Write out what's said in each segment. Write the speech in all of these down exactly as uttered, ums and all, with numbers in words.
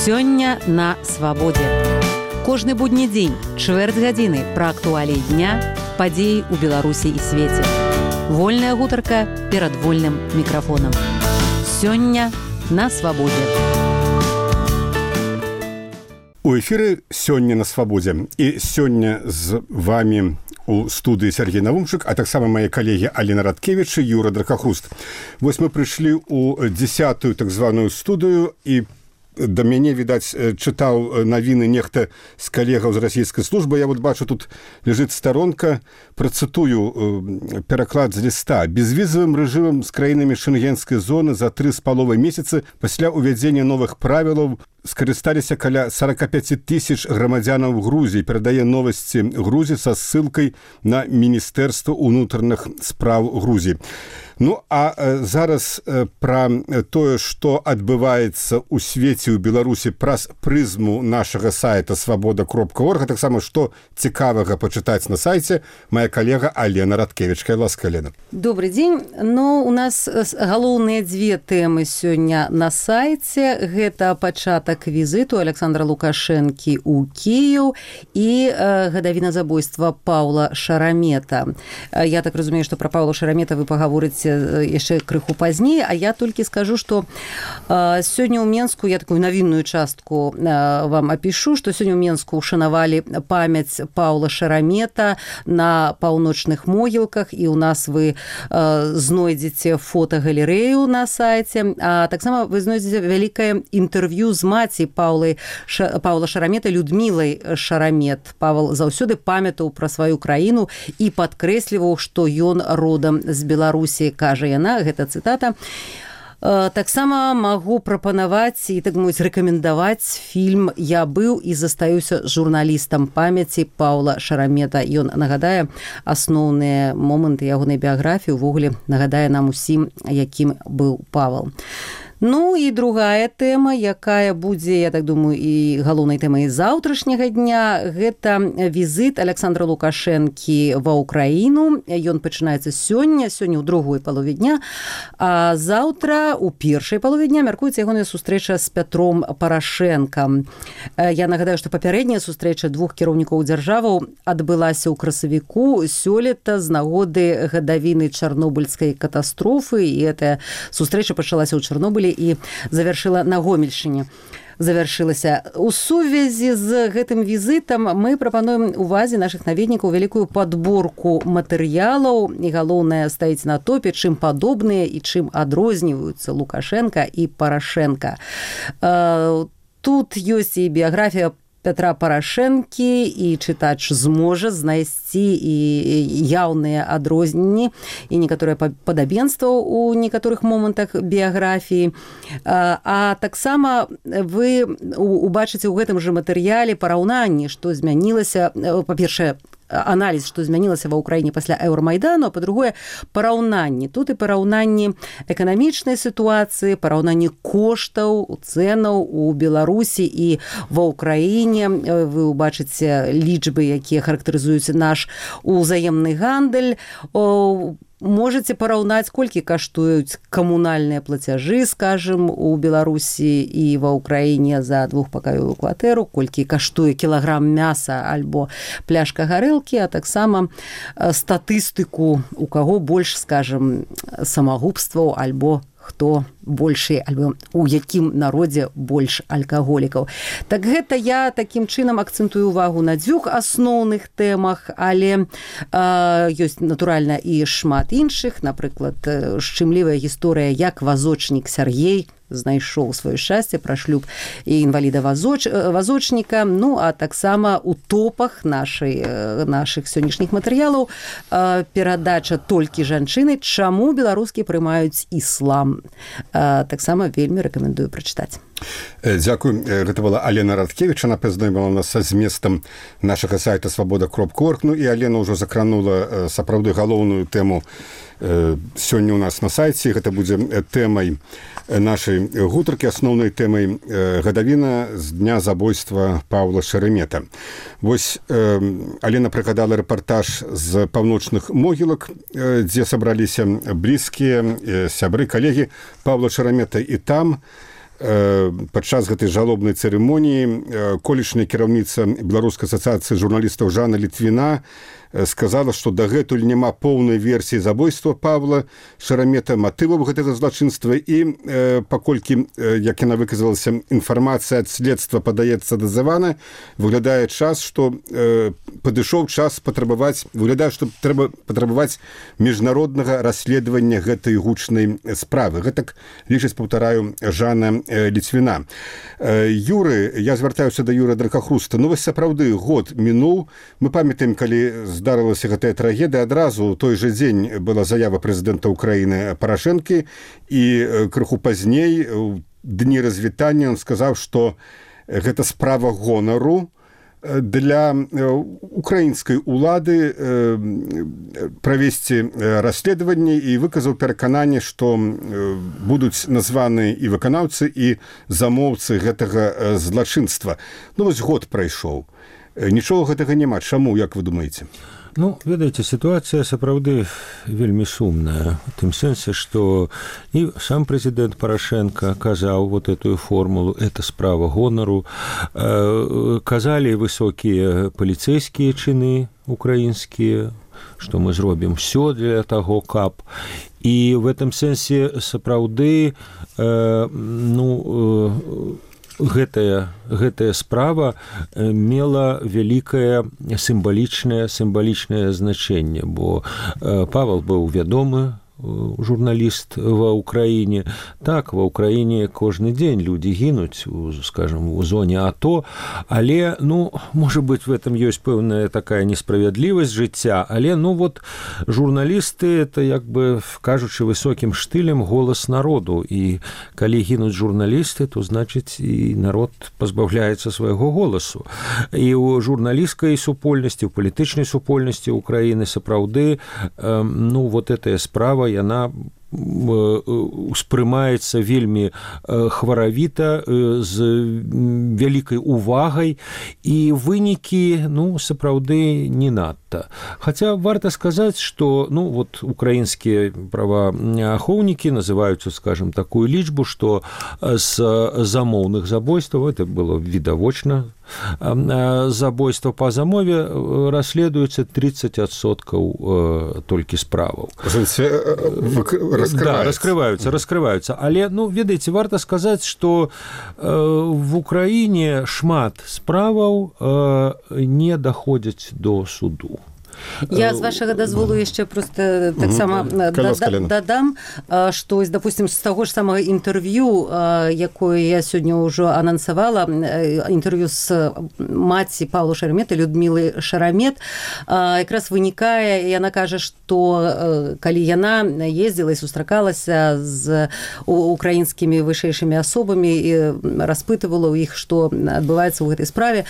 Сёння на свабодзе. Кожны будні дзень, чвэрць гадзіны пра актуаліі дня, падзеі ў Беларусі і свеце. Вольная гутарка перад вольным мікрафонам. Сёння на свабодзе. У эфіры «Сёння на свабодзе». І сёння з вамі у студыі Сергей Навумчык, а таксама мае калегі Алена Радкевіч і Юра Дракахруст. Вось мы прыйшлі ў дзесятую так званую студыю, і да мяне, відаць, чытаў навіны нехта з калегаў з расійскай службы. Я вот бачу, тут ляжыць старонка, працытую пераклад з ліста. Безвізавым рэжымам з краінамі шэнгенскай зоны за тры з паловай месяцы пасля ўвядзення новых правілаў скарысталіся каля сорок пять тысяч грамадзянаў Грузіі. Перадае новасці Грузіі са ссылкай на Міністэрства ўнутраных спраў Грузіі. Ну, а э, зараз э, пра тое, што адбываецца ў свеце, ў Беларусі праз прызму нашага сайта свабода кропка орг, а таксама, што цікавага пачытаць на сайце, моя калега Алена Радкевіч. Кай ласка, Алена. Добрый дзень. Ну, у нас галоўныя дзве тэмы сёння на сайце. Гэта пачатак візіту Александра Лукашэнкі ў Кіеў і э, гадавіна забойства Паўла Шарамета. Я так разумею, што пра Паўла Шарамета вы пагаворыце яшчэ крыху пазней, а я толькі скажу, што э, сёння ў Менску, я такую навінную частку э, вам апішу, што сёння ў Менску ушанавалі памяць Паўла Шарамета на паўночных могілках, і ў нас вы э, знойдзеце фотогалерэю на сайце, а таксама вы знойдзеце вялікае інтэрв'ю з маці Паўлы, Ша, Паўла Шарамета, Людмілай Шарамет. Павел заўсёды памятаў пра сваю краіну і падкрэсліваў, што ён родам з Беларусі. Кажа яна, гэта цытата. Таксама магу прапанаваць і, так мовіць, рэкамендаваць фільм «Я быў і застаюся журналістам» памяці Паўла Шарамета. Ён нагадае асноўныя моманты ягонай біяграфіі, увогуле нагадае нам усім, якім быў Павел. Ну і другая тэма, якая будзе, я так думаю, і галоўнай тэмай заўтрашняга дня, гэта візіт Александра Лукашэнкі ва ўкраіну. Ён пачынаецца сёння, сёння ў другой палове дня, а заўтра у першай палове дня мяркуецца ягоная сустрэча з Пятром Парашэнкам. Я нагадаю, што папярэдняя сустрэча двух кіраўнікоў дзяржаваў адбылася ў красавіку сёлета з нагоды гадавіны чарнобыльскай катастрофы, і гэтая сустрэча пачалася ў Чарнобылі і завяршыла на Гомельшчыне. Завяршылася. У сувязі з гэтым візітам мы прапануем увазе нашых наведнікаў вялікую падборку матэрыялаў, і галоўнае стаіць на топе, чым падобныя і чым адрозніваюцца Лукашенка і Парашенка. Тут ёсць і біяграфія Пятра Парашэнкі, і чытач зможа знайсці і яўныя адрозненні і некаторыя падабенства ў некаторых момантах біяграфіі. А таксама вы убачыце ў гэтым жа матэрыяле параўнанні, што змянілася, па-першае, аналіз, што змянілася ва ўкраіне пасля Еўрамайдану, а па-другое, параўнанні. Тут і параўнанні эканамічнай сітуацыі, параўнанні коштаў, цэнаў у Беларусі і ва ўкраіне. Вы ўбачыце лічбы, якія характарызуюць наш узаемны гандаль. Можаце параўнаць, колькі каштуюць камунальныя плацяжы, скажем, у Беларусі і ва ўкраіне за двухпакаёвую кватэру, колькі каштуе кілаграм мяса альбо пляшка гарэлкі, а таксама статыстыку, у каго больш, скажем, самагубстваў альбо хто большы, альбо у якім народзе больш алкаголікаў. Так гэта я такім чынам акцэнтую увагу на дзвюх асноўных тэмах, але э, ёсць, натуральна, і шмат іншых. Напрыклад, шчымлівая гісторыя, як вазочнік Сяргей знайшоў сваё шчасце, пра шлюб і інваліда вазоч, вазочніка. Ну, а таксама у топах нашай, нашых сённяшніх матэрыялаў э, перадача «Толькі жанчыны. Чаму беларускі прымаюць іслам». Э, таксама вельмі рэкамендую прачытаць. Дзякую. Гэта была Алена Радкевіч, она пазнаёміла нас са зместам нашага сайта свабода кропка орг. Ну і Алена ўжо закранула сапраўды галоўную тэму сёння ў нас на сайце. Гэта будзе тэмай нашай гутаркі, асноўнай тэмай гадавіна з дня забойства Паўла Шарамета. Вось Алена прыгадала рэпартаж з паўночных могілак, дзе сабраліся блізкія, сябры, калегі Паўла Шарамета, і там падчас гэтай жалобнай цырымоніі колішняя кіраўніца Беларускай асацыяцыі журналістаў Жанна Літвіна сказала, што дагэтуль няма поўнай версіі забойства Павла Шарамета, матываў гэтага злачынства і э, паколькі, э, як яна выказалася, інфармацыя ад следства падаецца дазавана, выглядае час, што э, падышоў час патрабаваць, выглядае, што трэба патрабаваць міжнароднага расследавання гэтай гучнай справы. Гэтак лічыць, паўтараю, Жанна э, Літвіна. Э, Юры, я звяртаюся да Юры Дракахруста. Ну, вось сапраўды год мінуў. Мы памятаем, калі здарылася гэтая трагедыя, адразу той жа дзень была заява прэзідэнта Украіны Парашэнкі, і крыху пазней, у дні развітання, ён сказаў, што гэта справа гонару для украінскай улады правесці расследаванне, і выказаў перакананне, што будуць названы і выканаўцы, і замоўцы гэтага злачынства. Ну, вось год прайшоў. Нічога гэтага няма. Чаму, як вы думаеце? Ну, ведаеце, сітуацыя сапраўды вельмі сумная. У тым сэнсе, што і сам прэзідэнт Парашэнка казаў вот эту формулу, это справа гонару. Казалі высокія паліцэйскія чыны украінскія, што мы зробім все для таго, каб. І в этом сэнсе сапраўды, ну, гэтая, гэтая справа мела вялікае сімвалічнае сімвалічнае значэнне, бо Павел быў вядомы журналіст ва ўкраіне. Так, ва ўкраіне кожны дзень людзі гінуць, скажем, у зоне АТО, але, ну, можа быць, в этом ёсць пэўная такая несправядлівасць жыцця, але, ну, вот, журналісты, это, як бы, кажучы высокім штылем, голас народу, і калі гінуць журналісты, то, значыць, і народ пазбаўляецца свайго голасу. І ў журналісцкай супольнасці, ў палітычнай супольнасці Украіны сапраўды, ну, вот этая справа, яна успрымаецца вельмі хваравіта, з вялікай увагай, і вынікі, ну, сапраўды не надта. Хаця варта сказаць, што, ну, вот украінскія праваахоўнікі называюць, скажем, такую лічбу, што з замоўных забойстваў, это было відавочна, забойства па замове расследуецца тридцать адсоткаў толькі справаў. Раскрываюцца. Да, раскрываюцца, раскрываюцца. Але, ну, ведаеце, варта сказаць, што э, в Украіне шмат справаў э, не даходзяць до суду. Я, з вашага дазволу, яшчэ проста таксама дадам, што, допустим, з таго ж самага інтэрв'ю, якое я сёння ўжо анансавала, інтэрв'ю з маці Паўла Шарамета, Людмілы Шарамет, якраз вынікае, яна кажа, што калі яна ездзіла і сустракалася з украінскімі вышэйшымі асобамі і распытывала ў іх, што адбываецца ў гэтай справе,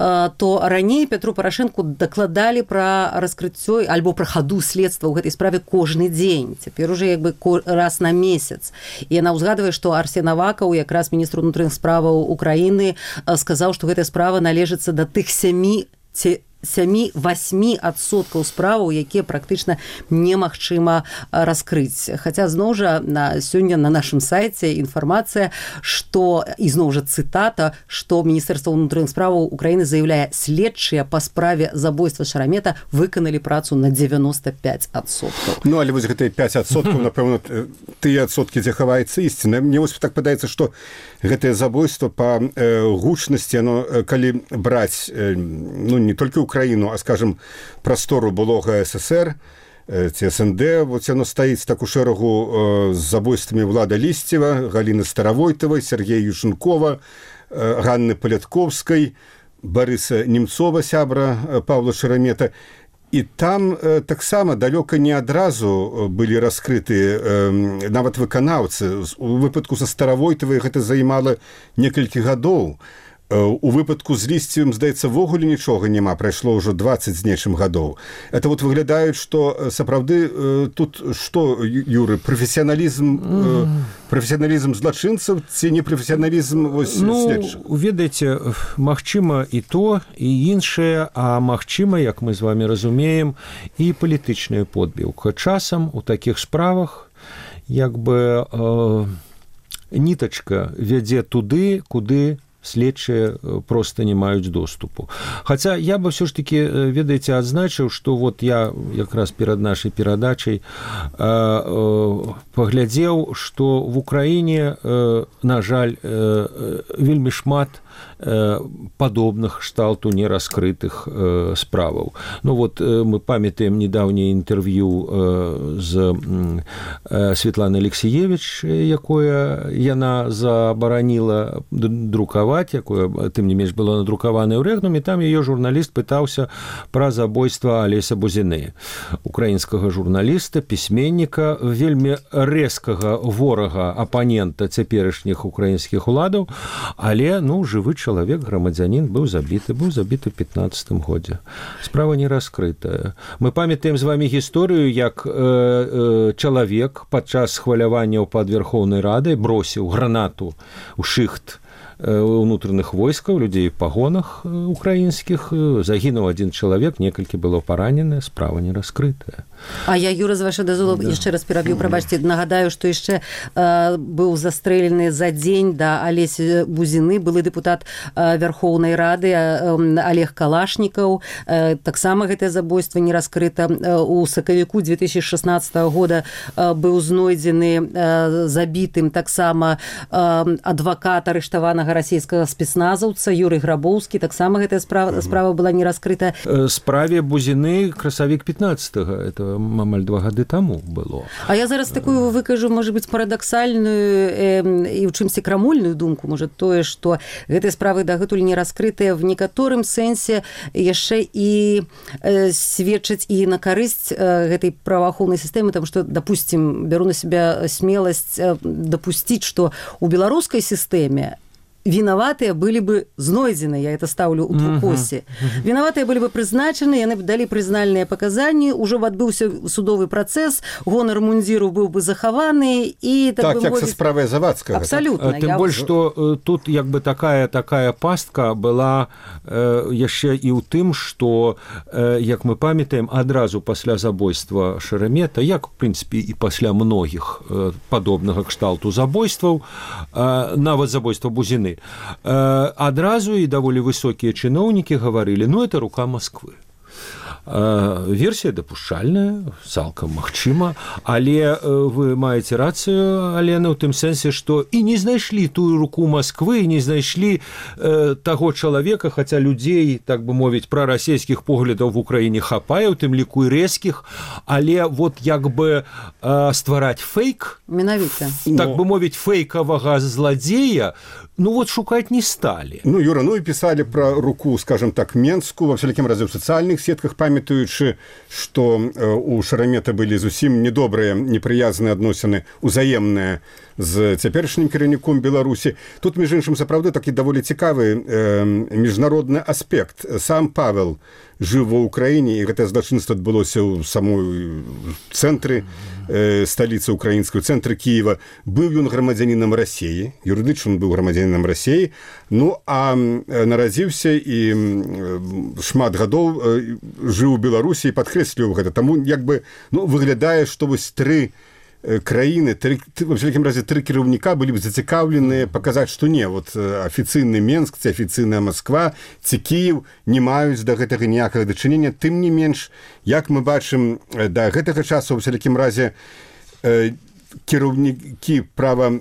то раней Петру Парашэнку дакладалі пра раскрыццё альбо пра хаду следства ў гэтай справе кожны дзень. Цяпер уже як бы раз на месяц. І яна ўзгадвае, што Арсен Авакаў, якраз міністр унутраных справаў Украіны, сказаў, што гэтая справа належыцца да тых сямі сямі-васьмі адсоткаў справаў, якія практычна немагчыма раскрыць. Хаця, зноў жа, на, сёння на нашым сайце інфармацыя, што, і зноў жа цытата, што Міністэрства ўнутраных справаў Украіны заяўляе, следчыя па справе забойства Шарамета выканалі працу на девяносто пять адсоткаў. Ну, але вось гэтыя пять адсоткаў, напэўна, тыя адсоткі, дзе хаваецца ісціна. Мне вось так падаецца, што гэтае забойства па э, гучнасці, оно, калі браць, э, ну, не толькі Украіну, а, скажем, прастору былога СССР, ці СНД, вот яно стаіць так у шэрагу з забойствамі Влада Лісцева, Галіны Старавойтавай, Сергея Юшенкова, Ганны Палятковскай, Барыса Немцова, сябра Паўла Шарамета. І там э, таксама далёка не адразу былі раскрыты э, нават выканаўцы. У выпадку са Старавойтавай гэта займала некалькі гадоў. У выпадку з Лісцевым, здаецца, вогуле нічога няма, прайшло ўжо двадцать з нечым гадоў. Это вот выглядаюць, што сапраўды тут што, Юры, прафесіяналізм, mm. прафесіяналізм злачынцаў ці не прафесіяналізм вось следчых? Ну, ведаеце, магчыма і то, і іншае, а магчыма, як мы з вами разумеем, і палітычная подбіўка. Часам у такіх справах як бы... Э, нітачка вядзе туды, куды следчыя просто не маюць доступу. Хаця я бы все ж таки, ведаеце, адзначыў, што вот я якраз перад нашай перадачай паглядзеў, што в Украіне, на жаль, вельмі шмат падобных кшталту нераскрытых справаў. Ну вот мы памятаем недаўняе інтэрв'ю з Светланай Алексеевич, якое яна забараніла друкаваць, якое, тым не менш, было надрукаванае ў рэгнуме, там яе журналіст пытаўся пра забойства Алеся Бузіны, украінскага журналіста, пісьменніка, вельмі рэзкага ворага, апанента цяперашніх украінскіх уладаў, але, ну, жывы чалавек, грамадзянін, быў забіты, быў забіты ў пятнаццатым годзе. Справа не раскрытая. Мы памятаем з вамі гісторыю, як э, э, чалавек падчас хваляванняў пад Верхоўнай Радай бросіў гранату ў шыхт унутраных войскаў, людзей у пагонах украінскіх, загінуў адзін чалавек, некалькі было паранены, справа не раскрытая. А я, Юра, з вашай дазволу, да. яшчэ раз пераб'ю, прабачце, нагадаю, што яшчэ э, быў застрэлены за дзень да Алесі Бузіны былы дэпутат э, Верхоўнай Рады э, Олег Калашнікаў. Э, таксама гэтае забойства не раскрыта. Э, у сакавіку две тысячи шестнадцатого года э, быў знойдзены э, забітым таксама э, адвакат арыштаванага расійскага спецназаўца Юрый Грабоўскі, таксама гэтая справа, справа была не раскрыта. Справе Бузіны красавік пятнаццатого, это амаль два гады таму было. А я зараз такую выкажу, можа быць, парадаксальную э, і ў чымсьці крамольную думку, можа, тое, што гэтыя справы дагэтуль не раскрытыя в некаторым сэнсе яшчэ і э, сведчаць і на карысць э, гэтай праваахоўнай сістэмы, таму што, допустим, бяру на себя смеласць э, дапусціць, што у беларускай сістэме виноватые были бы знойдены, я это ставлю у двукосе. Uh-huh. Виноватые были бы призначены, яны дали признальные показания, уже отбылся судовый процесс, гонор мундиру был бы захованы, и так, так бы як мовить... со справой Завадского. Абсолютно. Тем я... больше, что тут як бы такая, такая пастка была э, яшчэ і ў тым, что, э, як мы памятаем, адразу пасля забойства Шеремета, як, в принципе, і пасля многіх э, падобнага кшталту забойстваў, э, нават забойства Бузіны, адразу і даволі высокія чыноўнікі гаварылі, ну, это рука Москвы. Версія дапушчальная, цалкам магчыма, але вы маеце рацыю, Алена, ў тым сэнсе, што і не знайшлі тую руку Москвы, не знайшлі э, таго чалавека, хаця людзей, так бы мовіць, прарасійскіх поглядаў в Украіне хапае, у тым ліку і рэзкіх, але вот як бы э, ствараць фейк, менавіта, так бы мовіць, фейкавага зладзея, ну вот шукать не стали. Ну, Юра, ну и писали про руку, скажем так, Менскую, во всяким разе в социальных сетках, памятуючы, что э, у Шеремета были зусім недобрые, неприязныя адносіны, узаемныя з цяперашнім кіраўніком Беларусі. Тут, між іншым, сапраўды такі даволі цікавы э, міжнародны аспект. Сам Павел жыў ва ўкраіне, і гэтае злачынства адбылося ў самой цэнтры э, сталіцы украінскай, у цэнтры Кіева. Быў ён грамадзянінам Расіі, юрыдычна быў грамадзянінам Расіі, ну, а э, нарадзіўся і э, шмат гадоў э, жыў у Беларусі і падкрэсліваў гэта. Таму, як бы, ну, выглядае, што вось тры краіны, три, в всякім разе тры кіраўніка былі б зацікаўленыя паказаць, што не, вот афіцыйны Менск, ці афіцыйная Москва, ці Кіев не маюць да гэтага ніякага дачынення. Тым не менш, як мы бачым, да гэтага часу, в всякім разе, э, кіраўнікі права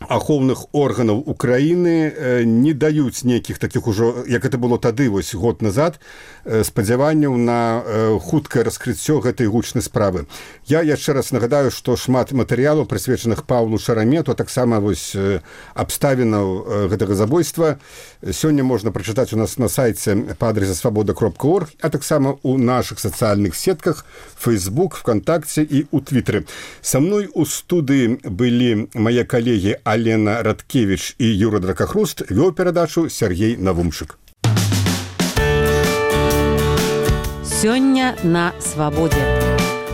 ахоўных органаў Украіны э, не даюць нейкіх такіх ужо, як это было тады, вось год назад, э, спадзяванняў на э, хуткае раскрыццё гэтай гучнай справы. Я яшчэ раз нагадаю, што шмат матэрыялаў, прысвечаных Паўлу Шеремету, а таксама вось э, абставінаў э, гэтага забойства сёння можна прачытаць у нас на сайце па адрасе свабода кропка орг, а таксама у нашых сацыяльных сетках Facebook, ВКонтакце і у Твиттере. Са мной у студыі былі мае калегі Алена Радкевич і Юра Дракахруст, вёў перадачу Сергей Навумчык. Сёння на свабодзе.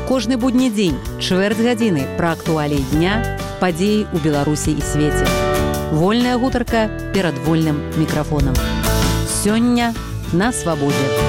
Кожны будні дзень, чвэрць гадзіны пра актуаліі дня, падзеі ў Беларусі і свеце. Вольная гутарка перад вольным мікрафонам. Сёння на свабодзе.